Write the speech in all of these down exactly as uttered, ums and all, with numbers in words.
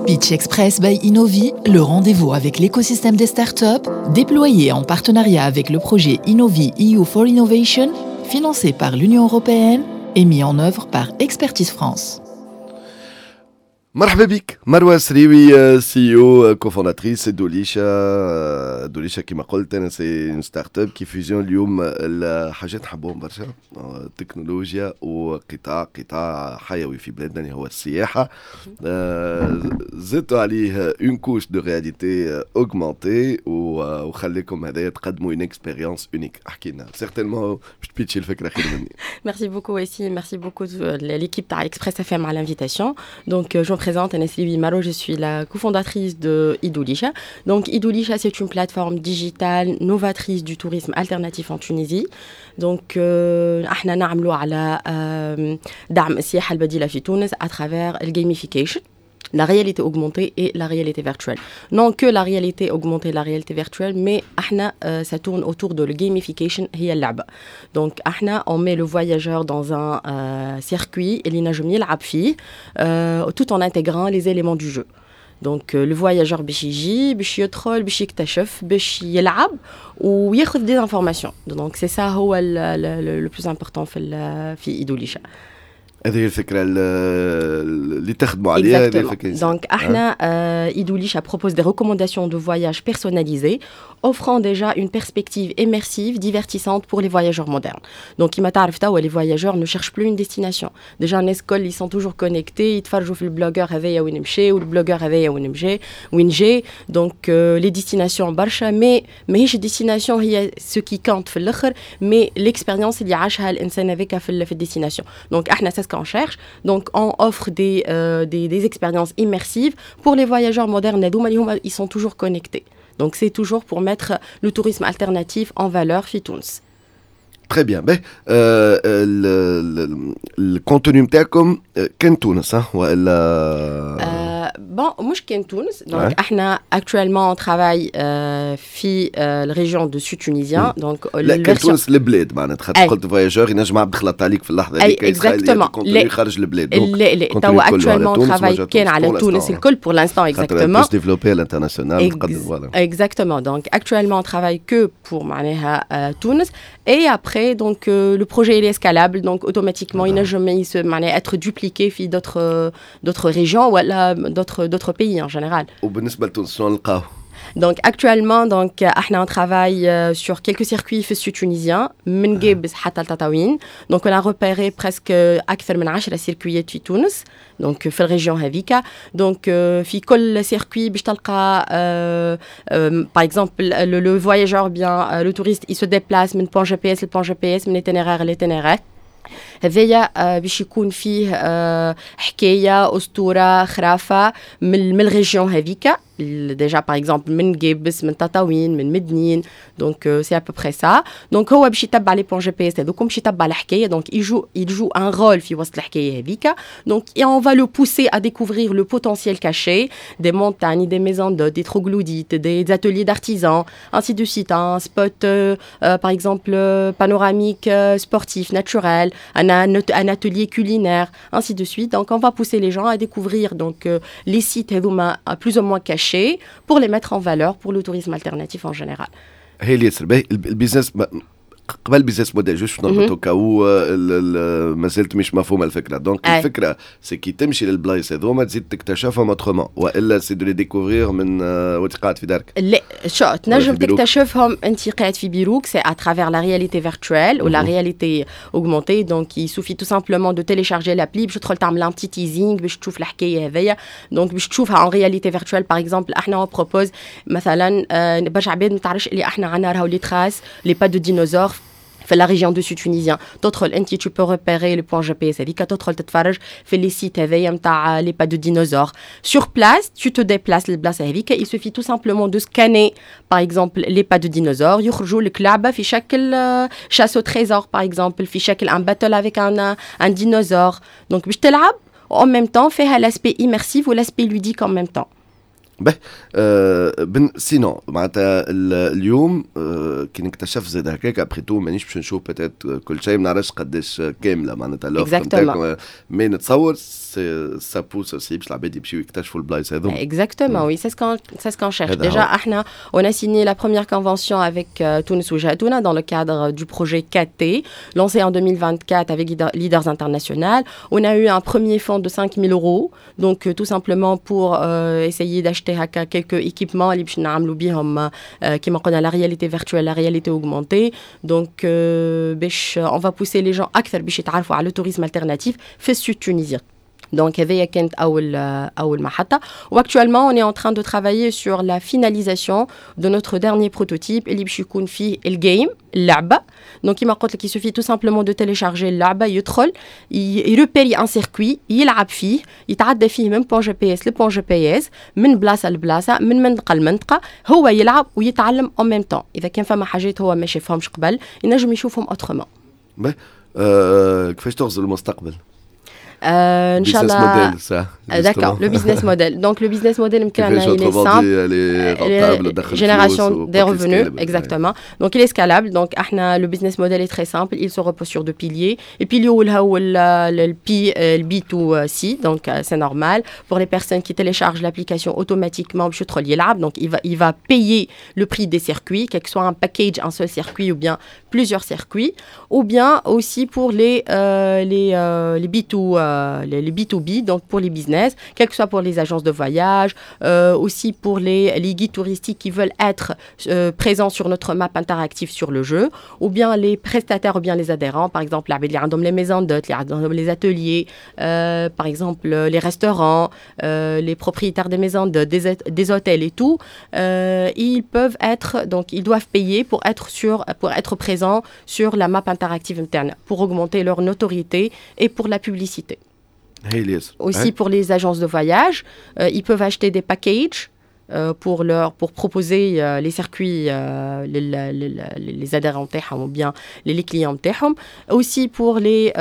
Pitch Express by Innovi, le rendez-vous avec l'écosystème des startups, déployé en partenariat avec le projet Innovi E U for Innovation, financé par l'Union européenne et mis en œuvre par Expertise France. مرحبا بك مروه سريوي، C E O cofondatrice دوليشا. دوليشا كما قلت انا c'est une startup qui fusionne اليوم الحاجات نحبوهم برشا، التكنولوجيا وقطاع قطاع حيوي في بلادنا اللي هو السياحه، زدتوا عليه une couche de réalité augmentée وخليكم هذايا تقدموا une expérience unique. احكي لنا، certainement باش تبيتشي الفكرة خير مني. Merci beaucoup aussi, merci beaucoup l'équipe تاع Express F M à l'invitation. Donc je me présente, أنا Sriwi Marwa, je suis la cofondatrice de Idoulisha. Donc Idoulisha, c'est une plateforme digitale novatrice du tourisme alternatif en Tunisie. Donc احنا نعملوا على دعم السياحة البديلة في تونس à travers le gamification, la réalité augmentée et la réalité virtuelle. Non que la réalité augmentée et la réalité virtuelle, mais احنا, euh, ça tourne autour de la gamification هي اللعبة. Donc احنا on met le voyageur dans un euh, circuit اللي ينجم يلعب فيه euh, tout en intégrant les éléments du jeu. Donc le voyageur باش يجي باش يدخل باش يكتشف باش يلعب وياخذ des informations. Donc c'est ça هو le plus important في في إيدوليشا. هذه هي الفكرة اللي تخدموا عليها. هذه الفكره. Donc احنا Idoulisha propose des recommandations de voyage personnalisées offrant déjà une perspective immersive divertissante pour les voyageurs modernes. Donc كيما تعرف توا les voyageurs ne cherchent plus une destination. Déjà الناس الكل ils sont toujours connectés، يتفرجوا في ال blogueur هذايا وين مشى وال blogueur هذايا وين مشى وين جا. Donc les destinations برشا، mais ماهيش destination هي ce qui compte في الاخر، mais l'expérience اللي عاشها الانسان هذاك في في ال destination. Donc احنا c'est ce qu'on cherche. Donc on offre des, euh, des, des expériences immersives pour les voyageurs modernes. Ils sont toujours connectés. Donc c'est toujours pour mettre le tourisme alternatif en valeur في تونس. Très bien. باهي، ال contenu نتاعكم كان تونس والا؟ Bon، مش كان تونس. Donc احنا actuellement on travaille في ال région du sud tunisien. Donc لا، كان تونس البلاد معناتها، خاطر قلت voyageur ينجم عبد خلط عليك في اللحظة هذيك. Exactement. خارج البلاد. لا لا، توا actuellement on travaille كان على تونس الكل pour l'instant, exactement. Développer l'international. Exactement. Donc actuellement on travaille que pour معناها تونس et après donc le projet il est scalable, donc automatiquement ينجم معناها être dupliqué في d'autres d'autres régions ولا d'autres d'autres pays en général. وبالنسبة لتونس شنو نلقاو؟ Donc actuellement, donc احنا on travaille sur quelques circuits في ال sud tunisien من قابس حتى لتطاوين. Donc on a repéré presque أكثر من عشرة circuits في تونس. Donc في ال région هذيك. Donc في كل circuit باش تلقى par exemple le, le voyageur, bien le touriste, il se déplace من point G P S ل point G P S، من itinéraire ل itinéraire. هذايا باش يكون فيه حكايه، اسطوره، خرافه من من ال région هذيك déjà, par exemple من قابس، من تطاوين، من مدنين. Donc c'est à peu près ça. Donc هو باش يتبع les points G P S هذوكم، باش يتبع الحكايه، donc il joue il joue un rôle في وسط الحكاية هذيك. Donc on va le pousser à découvrir le potentiel caché des montagnes, des maisons d'hôtes, des troglodytes, des ateliers d'artisans, ainsi de suite, un spot euh, par exemple panoramique, sportif, naturel, un, un atelier culinaire, ainsi de suite. Donc on va pousser les gens à découvrir donc les sites هذوما plus ou moins cachés pour les mettre en valeur pour le tourisme alternatif en général. هي ياسر باهي ال business. قبل business model، juste نربطو كاو ما زلت مش مفهومه الفكره. Donc الفكرة c'est كي تمشي للبلايص هذوما تزيد تكتشفهم autrement والا c'est de les découvrir من وانت قاعد في دارك؟ لا، شو تنجم تكتشفهم انت قاعد في بيروك، c'est à travers la réalité virtuelle ou la réalité augmentée. Donc il suffit tout simplement de télécharger l'appli باش تدخل تعمل un petit teasing باش تشوف الحكاية هذيا، donc باش تشوفها en réalité virtuelle. Par exemple احنا on propose مثلا، برشا عباد ما تعرفش اللي احنا عندنا راهو les traces, les pas de dinosaures في la région du sud tunisien. تدخل انت tu peux repérer le point G P S هذيك، تدخل تتفرج في les sites هذايا نتاع les pas de dinosaures sur place. Tu te déplaces للبلاصه هذيك، il suffit tout simplement de scanner par exemple les pas de dinosaures، يخرجوا لك لعبه في شكل chasse au trésor par exemple، في شكل un battle avec un un dinosaure. Donc باش تلعب en même temps، فيها l'aspect immersif و l'aspect ludique en même temps. به آه بن sinon معناتها اليوم آه كي نكتشف زاد هكاك، après tout مانيش باش نشوف peut-être كل شيء، ما نعرفش قداش كامله معناتها l'offre نتاعكم، mais نتصور ça pousse aussi باش العباد يمشيو يكتشفوا البلايص هذوما. Exactement, oui, c'est ce qu'on c'est ce qu'on cherche. Déjà, احنا on a signé la première convention avec euh, تونس وجهتنا dans le cadre du projet quatre T, lancé en deux mille vingt-quatre avec Leaders International. On a eu un premier fonds de cinq mille euros, donc euh, tout simplement pour euh, essayer d'acheter هكا quelques équipements اللي باش نعملوا بهم كيما قلنا la réalité virtuelle, la réalité augmentée. Donc باش on va pousser les gens اكثر باش يتعرفوا على le tourisme alternatif في ال sud tunisien. Donc, هذه كانت أول أول محطة. و actuellement, on est en train de travailler sur la finalisation de notre dernier prototype اللي باش يكون فيه ال game، اللعبة. Donc كما قلت لك، il suffit tout simplement de télécharger اللعبة، يدخل يروبيري un circuit، يلعب فيه، يتعدى فيه من point G P S ل point G P S، من بلاصة لبلاصة، من منطقة لمنطقة. هو يلعب ويتعلم en même temps. إذا كان فما حاجات هو ما شافهمش قبل، ينجم يشوفهم autrement. أه كيفاش تغزر المستقبل؟ Euh, إن شاء الله. D'accord, le business model. Donc, le business model متاعنا, il est simple. Elle est rentable, génération des revenus, exactement. Donc, il est scalable. Donc, احنا le business model est très simple. Il se repose sur deux piliers. Et pilier هو le P, le B deux C. Donc, c'est normal. Pour les personnes qui téléchargent l'application automatiquement, باش يدخل يلعب. Donc, il va, il va payer le prix des circuits, quel que soit un package, un seul circuit ou bien plusieurs circuits. Ou bien aussi pour les, euh, les, euh, les B deux, euh, les, les B deux B, donc pour les business, quel que soit pour les agences de voyage, euh, aussi pour les, les guides touristiques qui veulent être euh, présents sur notre map interactive sur le jeu, ou bien les prestataires ou bien les adhérents, par exemple les maisons d'hôtes, les ateliers, euh, par exemple les restaurants, euh, les propriétaires des maisons d'hôtes, des, des hôtels et tout, euh, ils peuvent être, donc ils doivent payer pour être sur, pour être présents sur la map interactive متاعنا, pour augmenter leur notoriété et pour la publicité. Aussi pour les agences de voyage, euh, ils peuvent acheter des packages euh, pour, leur, pour proposer euh, les circuits, euh, les, les, les adhérents تاعهم ou bien les, les clients تاعهم. Aussi pour les,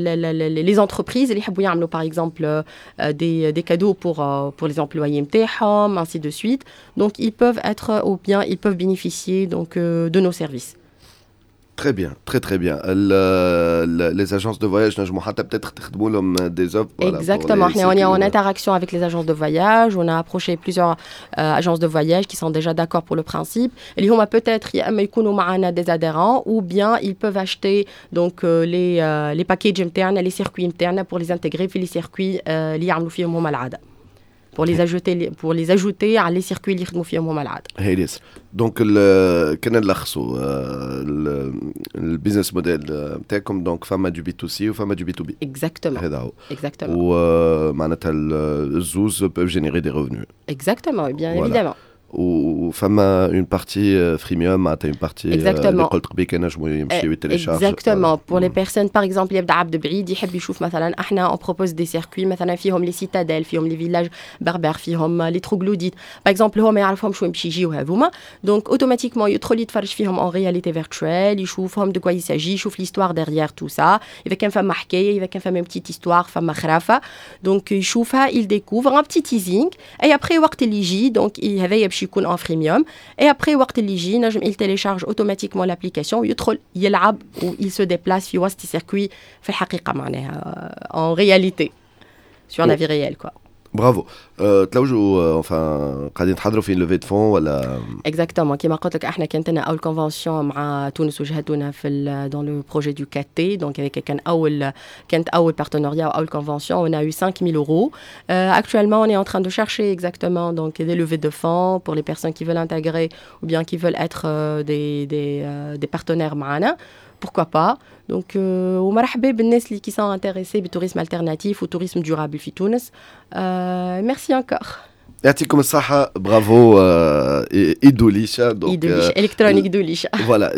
les, les, les entreprises اللي يحبوا يعملوا par exemple des, des cadeaux pour, pour les employés متاعهم, ainsi de suite. Donc ils peuvent être ou bien ils peuvent bénéficier donc de nos services. Très bien, très très bien. Le, les agences de voyage, نجموا حتى peut-être تخدموا لهم des offres. Voilà, exactement. On est en interaction avec les agences de voyage. On a approché plusieurs euh, agences de voyage qui sont déjà d'accord pour le principe. اللي هما peut-être يا اما يكونوا معنا des adhérents ou bien ils peuvent acheter donc euh, les euh, les packages متاعنا، les circuits متاعنا pour les intégrer في les circuits اللي يعملوا فيهم هما العاده. Pour les ajouter pour les ajouter على les circuits اللي يخدموا فيهم هما العاده. هايل ياسر. Donc كان نلخصوا ال business model نتاعكم، donc فما du B to C وفما du B to B. Exactement. هذا هو. Exactement. ومعناتها الزوز peuvent générer des revenus. Exactement, bien évidemment. وفما une partie freemium، معناتها une partie اللي قلت قبيل كان ينجموا يمشيو يتيليشارج. Exactement, pour les personnes, par exemple, يبدا عبد بعيد يحب يشوف، مثلا احنا on propose des circuits مثلا فيهم les citadelles، فيهم les villages berbères، فيهم les troglodytes par exemple، هو ما يعرفهمش وين باش يجيو هذوما، donc automatiquement يدخل يتفرج فيهم en réalité virtuelle، يشوفهم de quoi il s'agit، يشوف l'histoire derrière tout ça، اذا كان فما حكايه، اذا كان فما petite histoire، فما خرافه، donc يشوفها، il découvre un petit teasing et après وقت اللي يجي، donc هذايا باش يكون en freemium، et après وقت اللي يجي نجم il télécharge automatiquement l'application، يدخل يلعب و il se déplace في وسط circuit في الحقيقه، معناها en réalité sur la vie réelle quoi. Bravo. تلوجوا، enfin قاعدين تحضروا في levée de fonds ولا؟ Exactement, كيما قلت لك، احنا كانت لنا اول convention مع تونس وجهتنا في dans le projet du quatre T. Donc هذاك كان اول كانت اول partenariat، اول convention, on a eu cinq mille euros. euh, actuellement on est en train de chercher exactement donc des levées de fonds pour les personnes qui veulent intégrer ou bien qui veulent être euh, des des euh, des partenaires معنا, pourquoi pas. Donc ومرحبا بالناس اللي qui sont intéressés بال tourisme alternatif و tourisme durable في تونس. Merci encore. يعطيكم الصحة، bravo إيدوليشا. Donc إيدوليشا électronique دوليشا. Voilà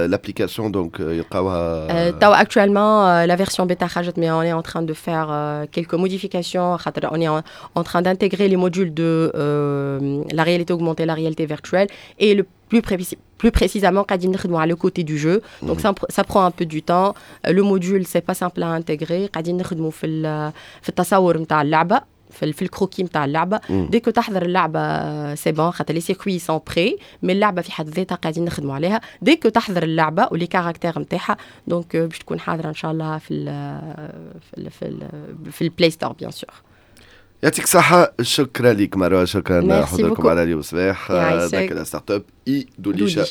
l'application, donc يلقاوها. توا actuellement la version bêta خرجت، mais on est en train de faire quelques modifications خاطر on est en, en train d'intégrer les modules de euh, la réalité augmentée, la réalité virtuelle et le plus, pré plus précisément قاعدين نخدموا على le côté du jeu. Donc ça, ça prend un peu du temps. Le module, c'est pas simple à intégrer. قاعدين نخدموا في في التصور نتاع اللعبة. في, في الكروكي نتاع اللعبه. dès que تحضر اللعبه، c'est bon، خاطر les circuits sont prêts، mais اللعبة في حد ذاتها قاعدين نخدموا عليها. dès que تحضر اللعبة و les caractères نتاعها، donc باش تكون حاضره ان شاء الله في ال في ال في, ال في ال Play Store bien sûr. يعطيك الصحة، شكرا لك مروة، شكرا حضوركم على اليوم الصباح. ذاك la startup اي دوليشا.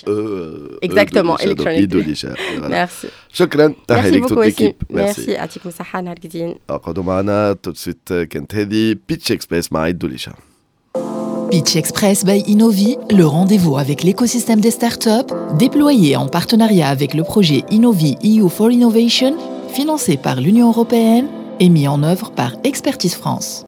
exactement. اي دوليشا. ميرسي. شكرا، تحية لك toute l'équipe. ميرسي، يعطيكم الصحة، نهار جديد. اقعدوا معنا tout de suite، كانت هذه Pitch Express مع دوليشا. Pitch Express by Innovi, le rendez-vous avec l'écosystème des startups, déployé en partenariat avec le projet Innovi E U for Innovation, financé par l'Union européenne et mis en œuvre par Expertise France.